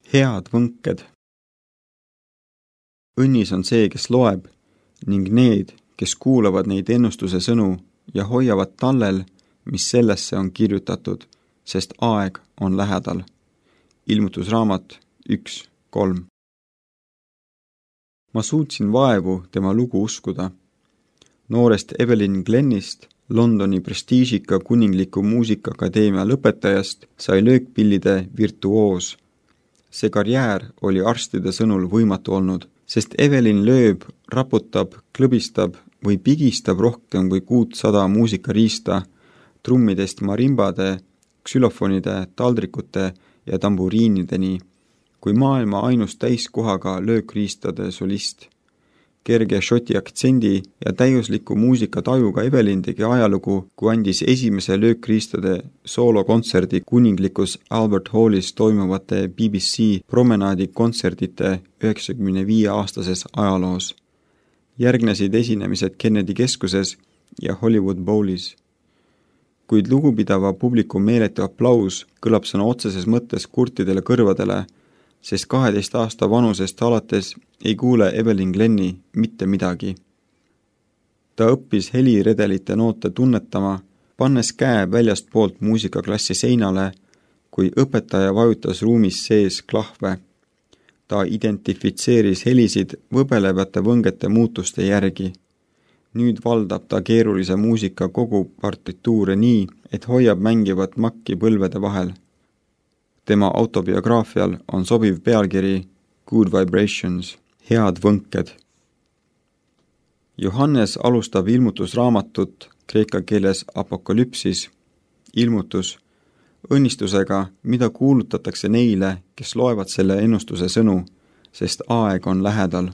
Head võnked. Õnnis on see, kes loeb, ning need, kes kuulavad neid ennustuse sõnu ja hoiavad tallel, mis sellesse on kirjutatud, sest aeg on lähedal. Ilmutusraamat 1:3. Ma suutsin vaevu tema lugu uskuda. Noorest Evelyn Glennist, Londoni prestiižika kuningliku muusikaakadeemia lõpetajast, sai löökpillide virtuoos. See karjäär oli arstide sõnul võimatu olnud, sest Evelyn lööb, raputab, klõbistab või pigistab rohkem kui 600 muusikariista, trummidest marimbade, ksülofonide, taldrikute ja tamburiinideni, kui maailma ainus täiskohaga löökriistade solist. Kerge šoti aktsendi ja täiusliku muusikatajuga Evelyn tegi ajalugu, kui andis esimese löökriistade soolokontserdi kuninglikus Albert Hallis toimuvate BBC promenaadi kontserdite 95-aastases ajaloos. Järgnesid esinemised Kennedy keskuses ja Hollywood Bowlis. Kuid lugupidava publiku meeletu aplaus kõlab sõna otseses mõttes kurtidele kõrvadele, sest 12 aasta vanusest alates ei kuule Evelyn Glenni mitte midagi. Ta õppis heliredelite noote tunnetama, pannes käe väljast poolt muusikaklassi seinale, kui õpetaja vajutas ruumis sees klahve. Ta identifitseeris helisid võbelevate võngete muutuste järgi. Nüüd valdab ta keerulise muusika kogu partituure nii, et hoiab mängivat makki põlvede vahel. Tema autobiograafial on sobiv pealkiri Good Vibrations, head võnked. Johannes alustab ilmutusraamatut kreeka keeles apokalüpsis, ilmutus, õnnistusega, mida kuulutatakse neile, kes loevad selle ennustuse sõnu, sest aeg on lähedal.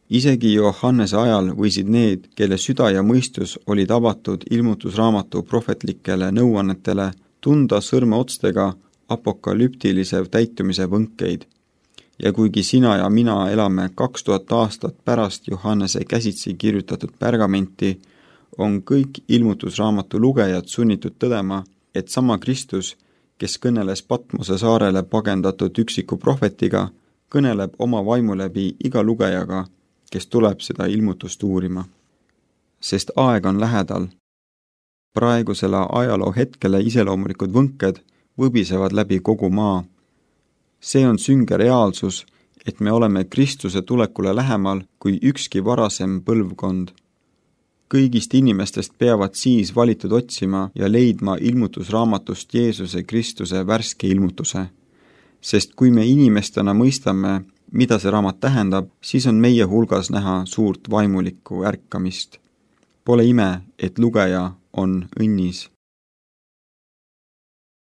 Isegi Johannese ajal võisid need, kelle süda ja mõistus olid avatud ilmutusraamatu prohvetlikele nõuannetele, tunda sõrmeotstega apokalüptilise täitumise võnkeid. Ja kuigi sina ja mina elame 2000 aastat pärast Johannese käsitsi kirjutatud pergamenti, on kõik ilmutusraamatu lugejad sunnitud tõdema, et sama Kristus, kes kõneles Patmose saarele pagendatud üksiku prohvetiga, kõneleb oma vaimu läbi iga lugejaga, kes tuleb seda ilmutust uurima. Sest aeg on lähedal. Praegusele ajaloo hetkele iseloomulikud võnked võbisevad läbi kogu maa. See on sünge reaalsus, et me oleme Kristuse tulekule lähemal kui ükski varasem põlvkond. Kõigist inimestest peavad siis valitud otsima ja leidma ilmutusraamatust Jeesuse Kristuse värske ilmutuse. Sest kui me inimestena mõistame, mida see raamat tähendab, siis on meie hulgas näha suurt vaimulikku ärkamist. Pole ime, et lugeja on õnnis.